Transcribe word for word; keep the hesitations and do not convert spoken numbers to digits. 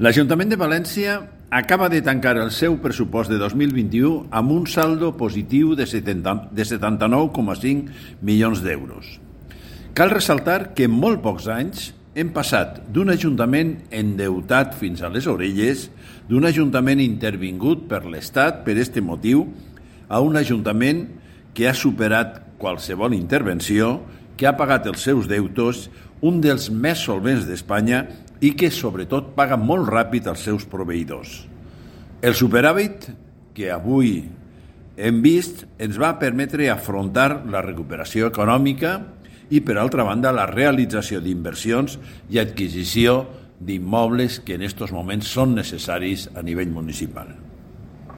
L'Ajuntament de València acaba de tancar el seu pressupost de dos mil vint-i-u amb un saldo positiu de setanta-nou coma cinc milions d'euros. Cal ressaltar que en molt pocs anys hem passat d'un ajuntament endeutat fins a les orelles, d'un ajuntament intervingut per l'Estat per aquest motiu, a un ajuntament que ha superat qualsevol intervenció, que ha pagat els seus deutes, un dels més solvents d'Espanya i que, sobretot, paga molt ràpid els seus proveïdors. El superàvit que avui hem vist ens va permetre afrontar la recuperació econòmica i, per altra banda, la realització d'inversions i adquisició d'immobles que en aquests moments són necessaris a nivell municipal.